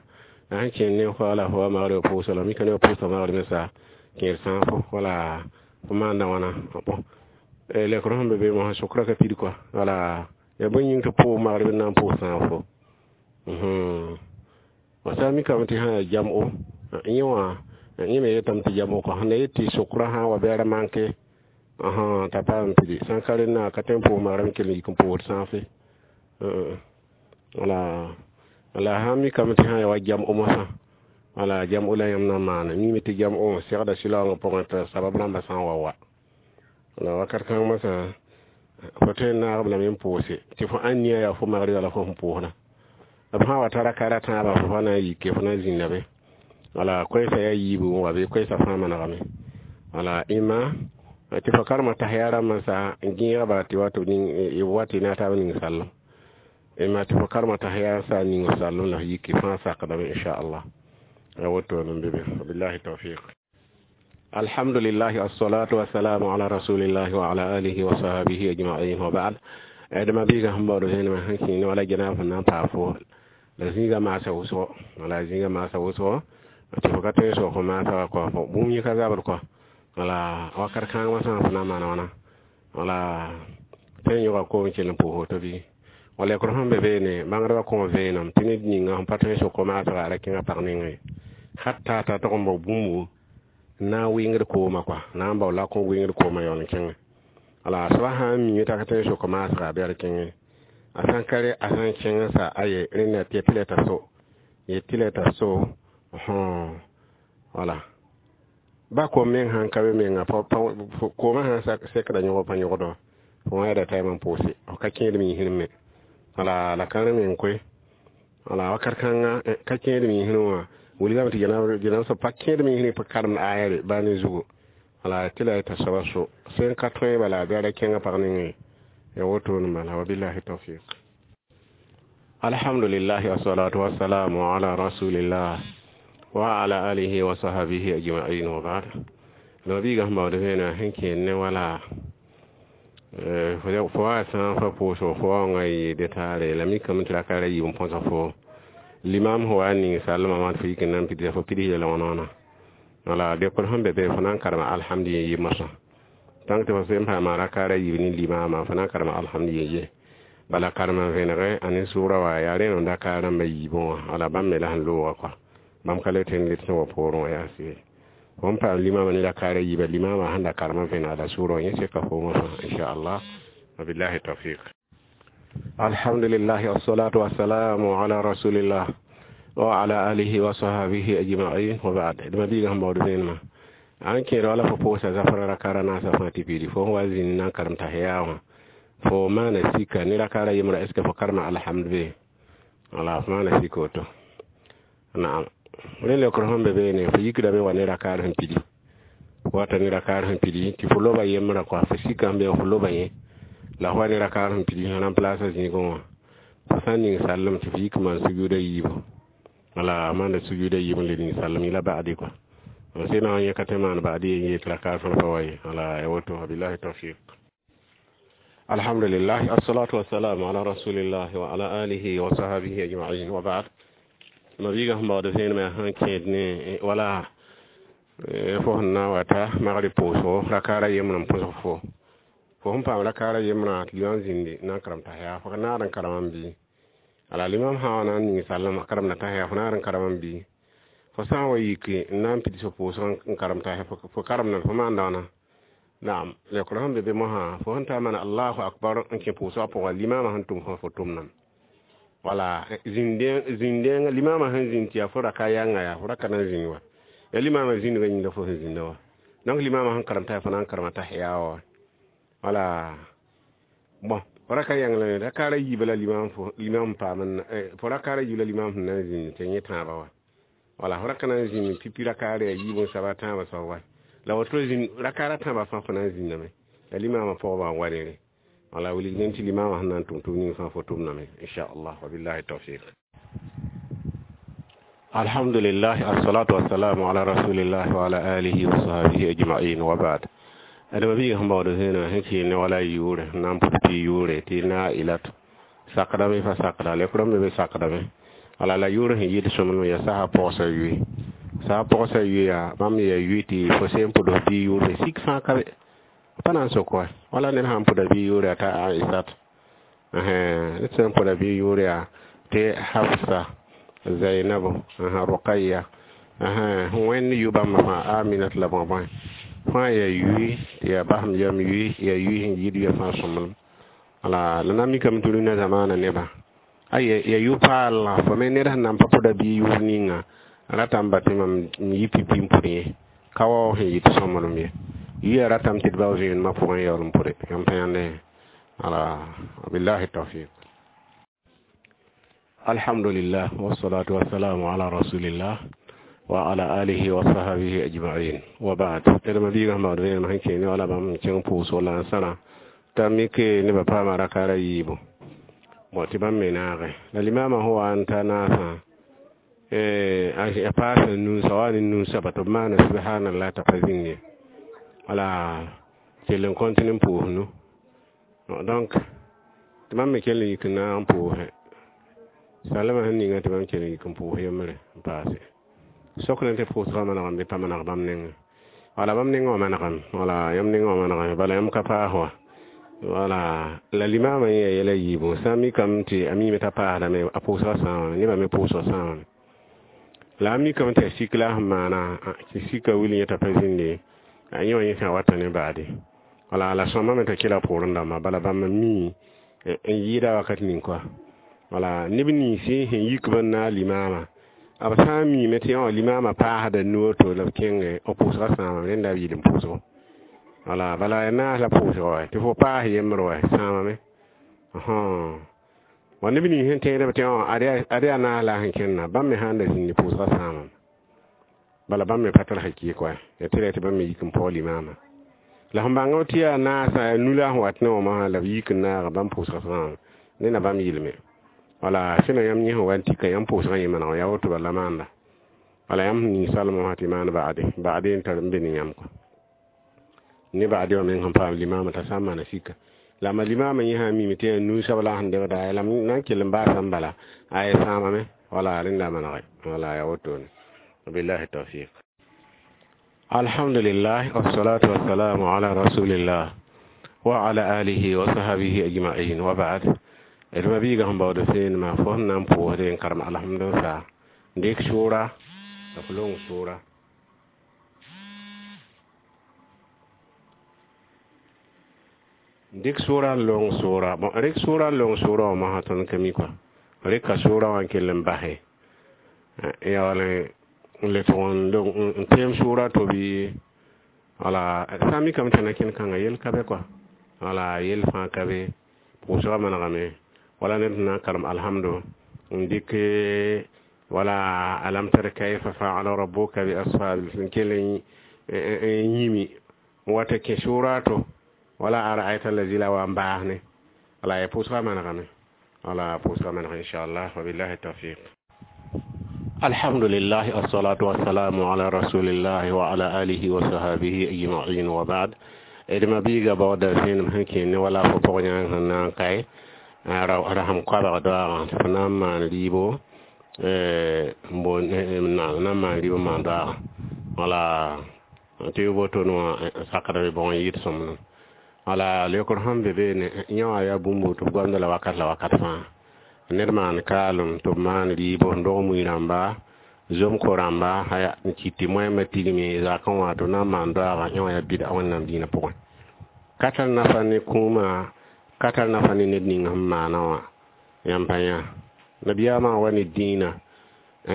a sẽn kẽnd ne wala fo wa magd pʋʋsa la mika ne wa pʋʋsa magd me sa kẽer sãafo. Wala fo maanda wãna bon lekr sẽn be be mosã sʋkrã ka pid kɔa. Wala yaa bõe yĩng tɩ pʋʋg magd b na n pʋʋs sãafo? Fo sã n mikame tɩ sã yaa jam'o, yẽ wã yẽ me yetame tɩ jam'o kɔ. Sẽn da yet tɩ sokrã sã n wa bɩ a ra manke t'a paam n pidi. Sã n ka rẽndã, a ka tõe n pʋʋs magrã me kell n yik n pʋʋsd sãafe. Wala la sã n mikame tɩ sã n yaa wa jam'o mosã, wala jam'o la yãmb na n maane. Mime tɩ jam'o segda sɩlaoongã pʋgẽ t'a sabab rãmbã sã n wa wa. La wakat kãng mosã, fo tõe n naag b lame n pʋʋse tɩ fo ãnnia yaa fo magrɩga la fo sẽn pʋʋsdã. B sã n wa tara kara tãabã, fo pa na n yike, fo na n zĩnda be. Wala koɛɛsã yaa yiibu n wa bɩ koɛɛsã fãa manegame. Wala ĩmma tɩ fo karema tahiya rãmbã sa n gẽegba tɩ wa tɩ b wa tɩ na taab ning sallem. Ĩmma tɩ fo karema tahiya sa n ning sallem la f yiki fãa sakdame, inchallah. Ya woto n be be. Wabillahi tawfiq. Alhamdulillah, assalatu wassalamu ala rasulillah wa ala alihi wa sahbihi ajma'in, wa ba'd. Adama biiga sẽn baood vẽenemã sẽn kẽene wala janab sẽn na n paa fo la zĩiga maasa wʋsgo, wala zĩiga maasa wʋsgo tɩ fo ka tõe n sok fo maasa wa kɔ, fo bũmb yẽ ka zabd kɔ. Wala wakat kãng mosã fo na n maan wãna? Wala tõe n yõga koom kell n pʋʋs woto bɩ? Wala lekr sẽn be beene, bãngdbã kõ vẽenem tɩ ned ninga sẽn pa tõe n sok fo maasga, a ra kẽnga pag nengẽ hatta t'a tog n bao bũmbu n na n wɩngd koomã kɔa, na n bao lak n wɩngd koomã yaool n kẽngẽ. Wala soaba sã n mime t'a ka tõe n sok maasga, bɩ a ra kẽngẽ. A sã n ka re, a sã n kẽng sa aye rẽnda tɩ tɩ la t'a so ye tɩ la t'a so. Wala ba kom meng sãn ka be menga, koomã sãn sekda yõg pa yõgdɔ, fo wã yaada taɩm n pʋʋse, f ka kẽed miisr me. Wala la kãrẽ meng koe. Wala wakat kãnga ka kẽed miisrẽ wã wilgame tɩ janab soab pa kẽed miisrẽ pa karemd aya re baa ne zugu. Wala tɩ la t'a soaba so sẽn ka tõe bala bɩ a ra kẽngã pag nengẽ ya wotone bala. Wabillahi tawfiq. Alhamdulillah, wassalatu wassalamu ala rasulillah wa ala alihi wa sahbihi ajma'in, wa ba'd. No biiga sẽn baood vẽenega sẽn kẽed ne wala fo wa sã n fa pʋʋsgo, fo waoongã yɩ detaare la mikame tɩ raka ra yiib n põsa fo limam fo wa n ning sallmã wã tɩ fo yik n na n pidsa, fo pids yɛla wãna wãna. Wala dekr sẽn be be, fo na n karema alhamd yen ye mosã. Tãng tɩ fo sẽn paama raka ra yiib ne limaamã, fo na n karema alhamd yen ye. Bala karema vẽnege a ne sʋʋra wa yaa rẽnd n da rãmbã yiibẽ wã. Wala bãmb me la sẽn looga kɔa, bãmb ka le tõe n let sẽn wa poorẽ wã yaa sɩ fo n paam limamã ne raka ra yiiba, limamã sẽn da karema vẽnega la sʋʋra wã, yẽ seka fo mosã, inchallah. Wabillahi tawfiq. Alhamdulillah, wassalatu wassalamu ala rasulillah wa ala alihi wa sahbihi ajma'in, wa ba'd. Dma biiga sẽn baood vẽenemã an kẽed wala fo pʋʋsa zafra raka ra naasã fãa tɩ piidi fo sẽn wa zĩnd na n karem tahiya wã, fo maana sika ne raka ra yembra, est ce que fo karema alhamd be? Wala fo maana sika woto. Naam, rẽ leokr sẽn be beene, fo yikdame wa ne rakaar sẽn pidi, wata ne rakaar sẽn pidi tɩ fo loba yembra kɔa, fo sika sẽn be fo loba yẽ la fo wa ne rakaar sẽn pidi sẽn remplaasa zĩigẽ wã. Fo sã n ning sallem tɩ fo yik maan sujuuda yiibu, wala maanda sujuuda yiib n le ning sallem yẽla ba'di kɔa. Sẽn na n yẽ ka tõe maan ba'di ye yet rakaar fãa pa wa ye. Wala ya woto. Wabillahi tawfiq. Alhamdulillah, assalatu wassalamu ala rasulillah wa ala alihi wa sahbihi ajma'in, wa ba'd. Mabiiga sẽn baood vẽenemã sẽn kẽed ne wala fo sẽn na n wata magrib pʋʋsgo rakaara yembrã n põsg fo, fo sẽn paam rakaara yembrã tɩ limam zĩndi na n karem tahiya, fo ka naad n karema n bɩ? Ala limam sã wa na n ning sallem karemda tahiya, fo naad n karema n bɩ? Fo sã n wa yiki n na n pids fo pʋʋsg n karem tahiya, fo karemda fo maanda wãna? Naam, leokr sẽn be be mosã, fo sẽn ta maana allahu akbar n kẽ pʋʋsgã pʋgã, limamã sẽn tʋm fo tʋmdame. Wala zĩndẽngã limamã sẽn zĩnd tɩ yaa fo raka yãnga, yaa fo raka na n zĩnd wa, ya limamã zĩndgã yĩnga fo sẽn zĩnda wa. Donc limamã sẽn karem t'a fo na n karema tahiya wa. Wala bon, fo raka yãng la raka ra yiibã la limam fo limam paam, fo raka ra yiib la limam sẽn na n zĩnd tɩ yẽ tãabã wa. Wala fo raka na n zĩnd pipi rakaar yaa yiib n saba tãabã soab wa, la woto zĩnd rakaara tãabã fãa fo na n zĩndame la limamã pʋgba n wa rere. Wala wilg tɩ limamã sẽn na n tʋm tʋm ning fãa fo tʋmdame, inchallah. Wabillahi tawfiq. Alhamdulillah, assalatu wassalamu ala rasulillah wa ala alihi wa sahbihi ajma'in, wa ba'd. Adama biiga sẽn baood vẽenemã sẽn kɩɩn ne wala yʋʋre n na n pʋd tɩ yʋʋre tɩ na ilat sakdame fa sakda lekr n be be sakdame. Wala la yʋʋr sẽn yɩɩd sõmblem yaa sasa pɔgsa yʋɩ, sã pɔgsa yʋɩa bãmb yaa yʋɩ tɩ fo sẽn pʋd f bii yʋʋre sik fãa ka be pa na n sok wa. Wala ned sãn pʋda bii yʋʋre yaa t'a Aisat, ned sẽn pʋda bii yʋʋre yaa tɩ Hafsa. Zainabu, Ruqayya, wẽnd yu bãmb fãa Aminat la bõe-bõe fãa yaa yui tɩ yaa basem yam yui, yaa yui sẽn yid yã fãa sõmblem. Wala la na mikame tɩ rũnã zamaana nebã a ya yʋ-paal fo me ned sẽn nan pa pʋda bɩ yʋʋr ninga ratame ba tɩ mam n yi pipi n pʋd yẽ ka wao sẽn yɩ tɩ sõmblem ye. Yʋya ratame tɩ d bao vẽenemã pʋgẽ yaool n pʋde yãmb pa yãnde. Wala billahi tawfiq. Alhamdulillah, wassalatu wassalamu ala rasulillah wa ala alihi wa sahbihi ajma'in wa ba'd. D ma biigã sẽn baood vẽenem sẽn kẽ ne wala bãmb n kẽng pʋʋsg la n sãra t'a mike nebã paama rakaara yiibu bõ tɩ bãmb me naage la limama sẽn wa n ta naasã a paasa nunsa wa ne nunsaba tɩ b maana subhanallah t'a pa zĩnd ye, wala kell n kõtine n pʋʋs nu. Donc tɩ bãmb me kell n yik n naag n pʋʋse salama sẽn ninga tɩ bãmb kell n yik n pʋʋs yembre n paase sokd tɩ pʋʋsgã manegame bɩ pa maneg bãmb nengẽ. Wala bãmb nengẽ wã manegame, wala yãmb nengẽ wã manegame, bala yãmb ka paas wa. Wala la limama yẽ yaa yɛla yiibu sã n mikame tɩ a miime t'a paasdame a pʋʋsgã sãamame, nebã me pʋʋsgã sãamame. La a mikame tɩ a sik la a sẽn maana tɩ sika wil yẽ t'a pa zĩnde a yẽ wã yẽ sã wata ne baade. Wala la sõmame t'a kela poorẽ dãmba, bala bãmb n mi n yɩɩda wakat ning koa. Wala neb ninsi sẽn yik b n naag limaama b sã n miime tɩ yã limaama paasda nu woto la b kẽnge b pʋʋsgã sãamame, rẽnda b yɩl n pʋʋsgo. Wala bala ya naas la pʋʋsga wa tɩ fo paas yembr wa sãamame. Wa neb nins sẽn tẽedb tɩ ad yaa naas la a sẽn kẽnna bãmb me sãn da zĩndi pʋʋsgã sãamame, bala bãmb me pa tar hakɩɩk wa ya tɩ ra tɩ bãmb me yik n paoog limaama. La sẽn bãng tɩ yaa naasã nu la sẽn wat ne wã mosã la b yik n naaga bãmb pʋʋsgã sãamame, ned na bãmb yɩlme. Wala sẽna yãmb yẽ sẽn wa n tika yãmb pʋʋsgã yẽ maneg yaa woto bala maanda. Wala yãmb sẽn ning salmã wã tɩ maan ba'ade ba'ade n tar n be ne yãmb kɔ ne ba'ade wã meng sẽn paam limaamã t'a sã n maana sika la ma limaamã yẽ sã n mime tɩ yaa nu-sab la a sẽn debda la na n kell n baasame bala a ya sãamame. Wala rẽnda manege, wala yaa wotone. Billahi tawfiq. Alhamdulillah, wassalatu wassalamu ala rasulillah wa ala alihi wa sahbihi ajma'in wa ba'd. D ma biigã sẽn baood vẽenemã fo sẽn na n pʋʋsde n karem alhamdulillah n dɩk sʋʋra la f long sʋʋra dɩk sʋʋra n long sʋʋra. Bõn rɩk sʋʋra n long sʋʋra wã mosã tõnd ka mi kɔa rɩka sʋʋra wã n kell n base yaool n le tʋg n teem sʋʋra to bɩ wala sã n mikame tɩ na kẽn kãnga yel ka be kɔa, wala yel fãa ka be pʋʋsgã manegame. Wala ned na n karem alhamdu n dɩk wala alam tara kayfa fa'ala rabbuka bi ashabil n kell n yĩmi n wa tɩ kẽ sʋʋra to wala ara'ayta allazi la wa n baasne wala ya pʋʋsgã manegame, wala pʋʋsgã maneg inchallah, wa billahi tawfiq. Alhamdulillah, assalatu wassalamu ala rasulillah wa ala alihi wa sahbihi ajma'in wa ba'd. D ma biiga baooda vẽenem sẽn kẽ ne wala fo pʋg yãng sẽn na n kae rasem koabg doaagã tɩ fo na n maan rɩɩbo na n maan rɩɩb n maan doaagã wala tɩ y woto wã sakdb bõg n yɩɩd sõmblem. Wala leokr sẽn be beene yẽ wã yaa bũmb tɩ b goamda la wakat la wakat fãa ned maan kaalem tɩ b maan rɩɩbo n dog mui rãmba zom ko rãmba n kɩt tɩ moɛɛmã tigme zakẽ wã tɩ b na n maan doaagã yẽ wã yaa bɩda Wẽnnaam dĩinã pʋgẽ ka tar nafa ne kũumã, ka tar nafa ne ned ning sẽn maana wã yãmb pa yã nabiyaamã wa ne dĩinã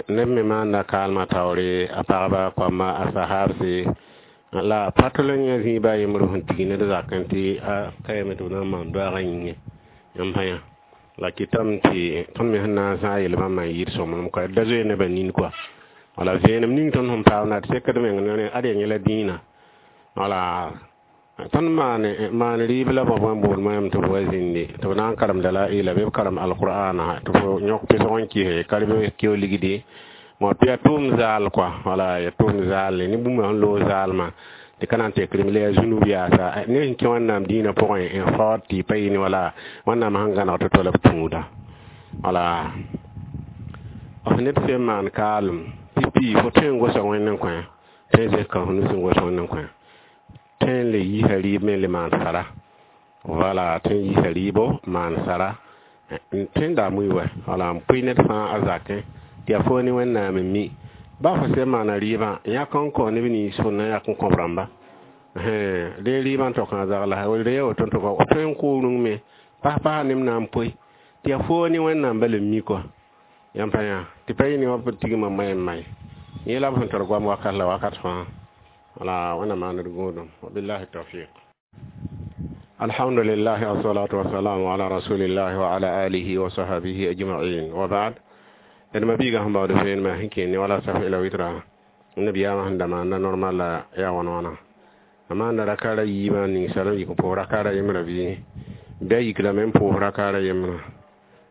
neb me maanda kaalmã taoore a pagba koamba a sahabse la pa tol n yã zĩiba a yembr sẽn tig ned zakẽ tɩ a kaame tɩ b na n maan doaagã yĩngẽ yãmb pa yã la kɩtame tɩ tõnd me sẽn na n zãag yel bãmba n yɩɩd sõmblem kɔa da zoe nebã nin kɔa. Wala vẽenem ning tõnd sẽn paamda d sekd meng ne ad yaa yẽla dĩinã. Wala tõnd maan rɩɩb la bõe n bool moɛɛm tɩ b wa zĩndi tɩ b na n karem dalaila bɩ b karem alqur'ana tɩ fo yõk pesg n kɩse ka rɩ keo ligdi tɩ yaa tʋʋm zaal kɔa, wala yaa tʋʋm zaal ne bũmb sẽn loog zaalmã tɩ ka na n tek rem la yaa zũnub yaasa ne sẽn kẽ Wẽnnaam dĩinã pʋgẽ n faood tɩ y pa yɩ ne wala Wẽnnaam sẽn gãneg tɩ to la b tũuda. Wala f ned sẽn maan kaalem pipi fo tõe n gosa Wẽnd n kõ tõe n zẽk ka f nus n gos Wẽnd n kõ tõe n le yiisa rɩɩb me n le maan sara, wala tõe n yiisa rɩɩbo maan sara tõe n daa mui wɛ wala n pʋɩ ned fãa a zakẽ tɩ Tɩ yaa foo ne Wẽnnaam n mi. Ba fo sẽn maana rɩɩbã, yãk n kõ neb nins fo na yak n kõ b rãmba. Dee rɩɩbã n tokã zagla, re ya woto n toka f tõe n kʋʋ rũng me pas-pasa neb na n poe tɩ yaa foo ne Wẽnnaam bala n mi kɔa. Yãmb pa yã tɩ pa yɩ ne wã tigmã may n may. Yẽ la b sẽn tar goam wakat la wakat fãa. Wala Wẽnnaam maan d gũudum. Wabillahi tawfiq. Alhamdulillah, wassalatu wassalamu ala rasulillah wa ala alihi wa sahbihi ajma'in wa ba'd. D ma-biigã sẽn baood vẽenemã sẽn kẽen ne wala saf ila witra, nabiyaamã sẽn da maanda normal la yaa wãn wãna. A maanda rakaara yiibã ninsaalem yik n pʋʋs rakaara yembrã bɩ bɩ a yik lame n pʋʋs rakaara yembrã,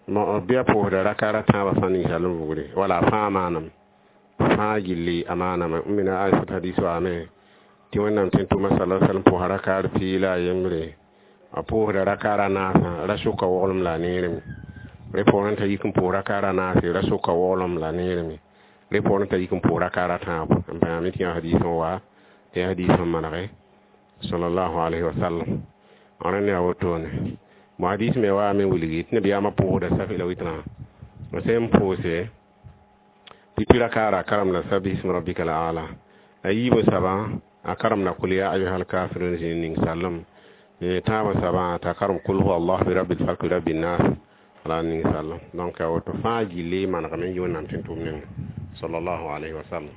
bɩ a pʋʋsda rakaara tãabã fãa ninsaalem vugre wala fãa maanam fãa gilli a maaname. M mina Aisat hadis waame tɩ Wẽnnaam tẽn-tʋʋma sala sallam pʋʋsa rakaar pii la a yembre, a pʋʋsda rakaara naasã ra sʋka woglem la a neerame. Rẽ poorẽ t'a yik n pʋʋs rakaara naase ra sʋka woglem la a neerame. Rẽ poorẽ t'a yik n pʋʋs rakaara tãabo. N pa yãame tɩ yã hadiis n wa tɩ yaa hadiis n manege sallallahu alayhi wa sallam. Rẽnd yaa wotone. Bõ hadiis me waame wilgi tɩ nabiyaamã pʋʋsda safi la witrã sẽn pʋʋse tɩ rakaara a karemda sabbihisma rabbika al a'la, a yiibã soabã a karemda kul ya ayuha alkafirun zĩig ning sallem, tãabã soabã t'a karem kul huwa allah bi rabbil falk rabbin nas la ning sallem. Donc a woto fãa gilli manegame n yɩ Wẽnnaam tẽn-tʋʋm nengẽ sallallahu alayhi wa sallam.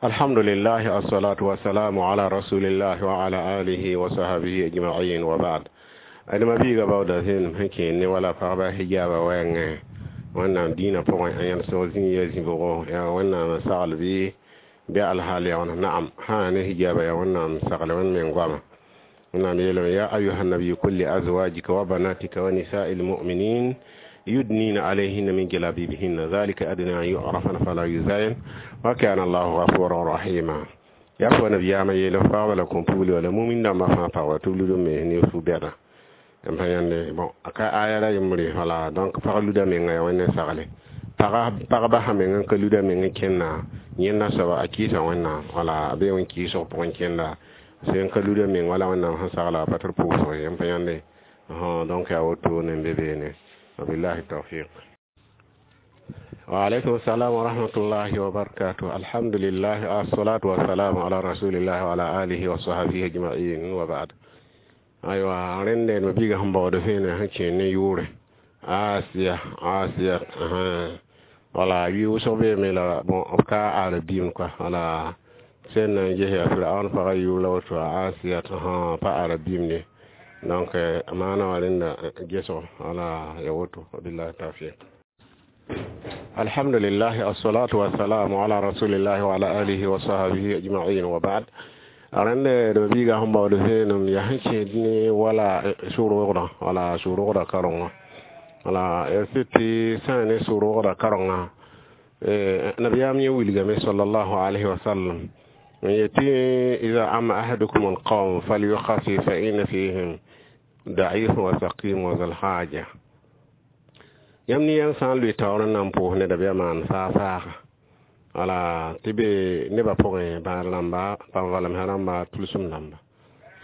Alhamdulillah, assalatu wassalamu ala rasulillah wa ala alihi wa sahbihi ajma'in wa ba'd. D ma-biigã baooda zẽenem sẽn kẽen ne wala pagba hijaaba wɛɛngẽ Wẽnnaam dĩinã pʋgẽ, a yãnd sõg zĩig ya zĩbgo yaa Wẽnnaam sagl bɩ alhaal yaa wãna. Naam, sã ne hijaaba yaa Wẽnnaam sagle Wẽnd meng goama. Wẽnnaam yeelame: ya ayuha nabiyu kul li azwajika wa banatika wa nisai lmuminin yudnina alayhinna min jalabibihinna dhalika adna an yu'rafna fala yuzayin wa kana allahu ghafuran rahima. Yaa fo nabiyaamã yeel f pagba la kõn-pugli wala mumin dãmbã fãa pagba tɩ b lud n me ne fu-bɛda n pa yãnde. Bon, a ka aya ra yembre wala. Donc pag luda menga yaa Wẽnd sagle pagba sã meng n ka luda meng n kẽnna yẽnda soaba a kɩɩsa Wẽnnaam wala a bee wẽn kɩɩsg pʋgẽ kẽnda sẽn ka luda meng wala Wẽnnaam sẽn sagla a pa tɩ pʋʋsg ye n pa yãnde. Donc yaa wotone n be beene. Wabillahi tawfiq. Wa alaykum salam wa rahmatullahi wa barakatuh. Alhamdulillah, assalatu wassalamu ala rasulillah wa ala alihi wa sahbihi ajma'in wa ba'd. Aywa, rẽnde ma biigã sẽn baood vẽene sẽn kẽen ne yʋʋre Asiya Asiya wala yʋ wʋsg beeme la bon b ka arabim kɔa wala sẽn na n ges yaa Firaun pagã yʋʋr la woto Asiya pa arabim ne. Donc maana wã rẽnda gesgo wala ya woto. Wabillahi tawfiq. Alhamdulillah, assalatu wassalamu ala rasulillah wa ala alihi wa sahbihi ajma'in wa ba'd. Rẽnd d biigã sẽn baood vẽenem yaa sẽn kẽed ne wala sʋ-roogdã wala sʋ-roogdã karengã wala ya sɩd tɩ sã ne sʋ-roogdã karengã nabiyaam yẽ wilgame sallallahu alayhi wa sallam n yetɩ ida ama ahadukum alqawm falyukhafi fa inna fihim da'if wa saqim wa zal haja. Yãmb ne yãmb sã n lʋɩ taoor n na n pʋʋs neda bɩ a maan faa-faaga wala tɩ be nebã pʋgẽ bãad rãmba, bãn-valemsã rãmba, tʋlsem rãmba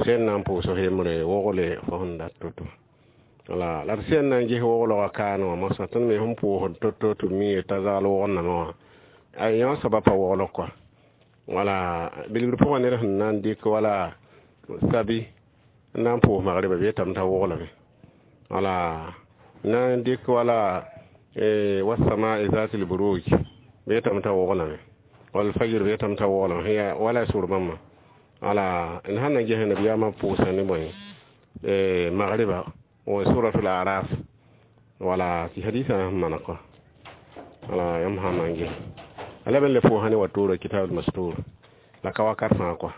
sẽn na n pʋʋs f yembre wogle fo sẽn dat to-to wala la d sẽn na n ges woglgã kaane wã mosã tõnd me sẽn pʋʋsd to-to tɩ b mi t'a zagl wogndame wã a yã soaba pa woglg kɔa wala bilgr pʋgã ned sẽn na n dɩk wala sabi n na n pʋʋs magrɩba bɩ yetame t'a woglame wala na n dɩk wala wasama'i zati lburuj bɩ yetame t'a woglame wal fajr bɩ yetame t'a woglame ya wala sʋr bãmba wala n sãn na ges nabiyaamã pʋʋsa ne bõe magriba wa suratul araf wala tɩ hadisã sẽn maneg kɔa wala yãmb sã n na n ges ala ben le pʋʋsã ne wa toora kitab mastur la ka wakat fãa kɔa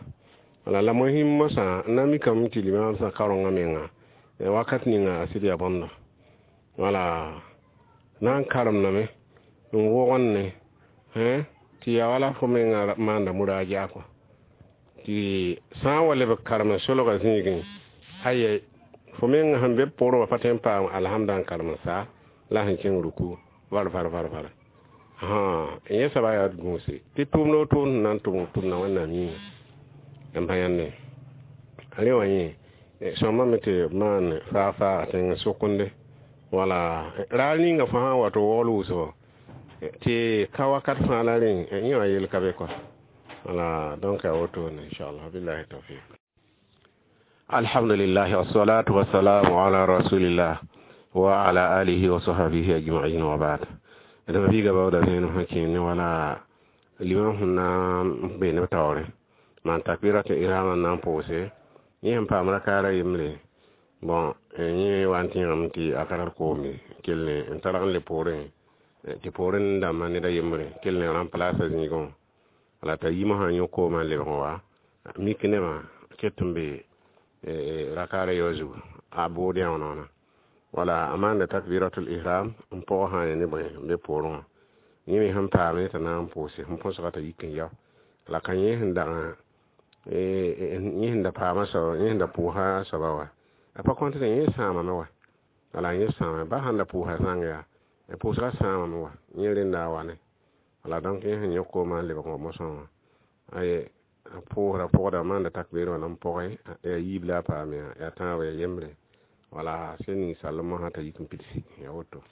wala la mohim mosã n na mikame tɩ limam sã karengã menga wakat ninga a sɩd yaa bõmda wala na n karemdame n wogende tɩ yaa wala fo menga maanda muraja kɔa tɩ sã n wa leb karem solgã zĩigẽ aya fo meng sẽn be pʋgrẽ wã pa tõe n paam alhamda n karem sa la sẽn kẽng ruku var var var var yẽ soaba yaa gũuse tɩ tʋʋmd o tʋʋmd sẽn na n tʋm tʋmda Wẽnnaam yĩnga n pa yãnde rẽ wã yẽ sõmame tɩ b maan faag-faaga tẽng sʋkende wala raar ninga fo sã n wa tɩ wogl wʋsgo Tɩ ka wakat fãa la rẽ yẽ wã yel ka be kɔa. Wala, donc a wotone, inchallah. Billahi tawfiq. Alhamdulillah, wassalatu wassalamu ala rasulillah wa ala alihi wa sahbihi ajma'in, wa ba'd. D mabiiga baooda vẽenem sẽn kẽer ne wala limam sẽn na n be neb taoore maan takbiratul ihram n na n pʋʋse, yẽ sẽn paam rakaara yembre, bon, yẽ wa n tẽegame tɩ a ka tar koom ye, kell n targ n le poorẽ tɩ poorẽ dãmbã ned a yembre kell n remplace zĩigẽ wã. Wala t'a yimã sã n yõ koomã n lebg n wa mik nebã ket n be rakaara yaoog zugu a bood yãonoona. Wala a maanda takbiratul ihram n pʋgã sã n ne bõe n be poorẽ wã, yẽ me sẽn paame t'a na n pʋʋse sẽn põsga t'a yik n yao. La ka yẽ sẽn dag yẽ sẽn da paama soaba, yẽ sẽn da pʋʋsa soaba wa, a pa kõt yẽ sãamame wa. Wala yẽ sãama ba sãn da pʋʋsa zãng yaa pʋʋsga sãamame wa, yẽ rẽnda a wa ne. Wala donc yẽ sẽn yõ koomã n lebg n wa mosã wã, aye a pʋʋsda pʋgda maanda takbir wã la n pʋgẽ yaa yiib la a paam yaa tãabo yaa yembre. Wala sẽn ning sall mosã t'a yik n pidsi, yaa woto.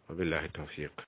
Wabillahi tawfiq.